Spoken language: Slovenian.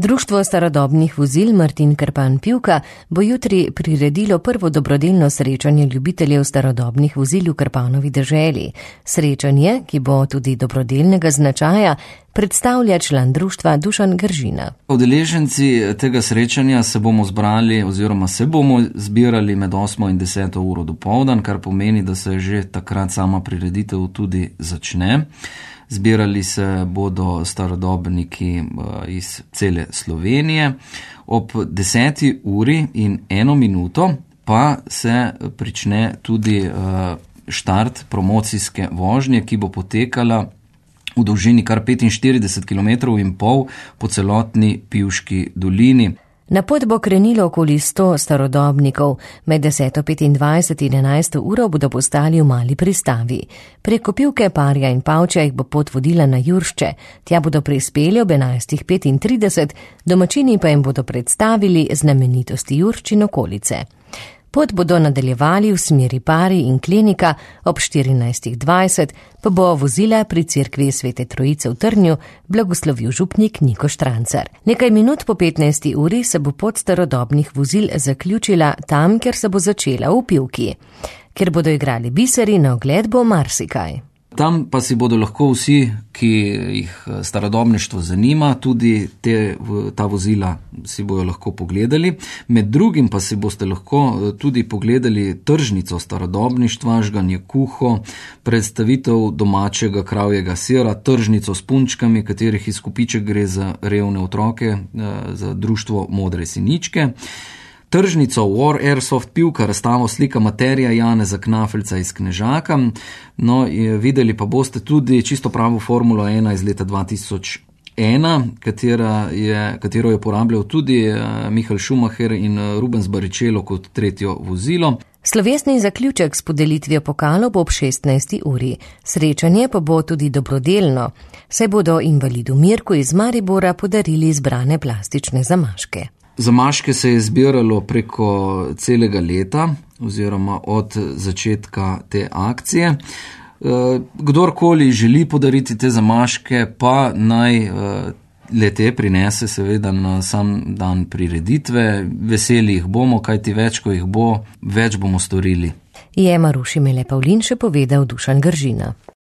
Društvo starodobnih vozil Martin Krpan Pivka bo jutri priredilo prvo dobrodelno srečanje ljubiteljev starodobnih vozil v Krpanovi deželi. Srečanje, ki bo tudi dobrodelnega značaja, predstavlja član društva Dušan Gržina. Udeleženci tega srečanja se bomo zbirali med 8 in 10 uro dopoldan, kar pomeni, da se že takrat sama prireditev tudi začne. Zbirali se bodo starodobniki iz cele Slovenije. Ob 10 uri in 1 minuto pa se prične tudi štart promocijske vožnje, ki bo potekala v dolžini kar 45,5 km po celotni Pivški dolini. Na pot bo krenilo okoli 100 starodobnikov. Med 10:25 in 11 uro bodo postali v mali pristavi. Preko Pivke, Parja in Pavča jih bo pot vodila na Juršče. Tja bodo prispeli ob 11:35, domačini pa jim bodo predstavili znamenitosti Juršč in okolice. Pot bodo nadaljevali v smeri Pari in Klenika, ob 14:20 pa bo vozila pri cerkvi Svete Trojice v Trnju blagoslovil župnik Niko Štrancar. Nekaj minut po 15. uri se bo pot starodobnih vozil zaključila tam, kjer se bo začela v Pivki. Ker bodo igrali biseri, na ogled bo marsikaj. Tam pa si bodo lahko vsi, ki jih starodobništvo zanima, tudi ta vozila si bojo lahko pogledali. Med drugim pa si boste lahko tudi pogledali tržnico starodobništva, žganje kuho, predstavitev domačega kravjega sira, tržnico s punčkami, katerih izkupiček gre za revne otroke, za društvo Modre siničke. Tržnico War Airsoft Pivka, razstavo slika materija Janeza Knafelca iz Knežaka. No, videli pa boste tudi čisto pravo Formulo 1 iz leta 2001, katero je uporabljal tudi Michael Schumacher in Rubens Barrichello kot tretjo vozilo. Slovesni zaključek s podelitvijo pokalov bo ob 16. uri. Srečanje pa bo tudi dobrodelno, saj bodo invalidu Mirku iz Maribora podarili izbrane plastične zamaške. Zamaške se je zbiralo preko celega leta oziroma od začetka te akcije. Kdorkoli želi podariti te zamaške, pa naj le-te prinese seveda na sam dan prireditve. Veseli jih bomo, kajti več, ko jih bo, več bomo storili. Je Maruši Mele Pavlin še povedal Dušan Gržina.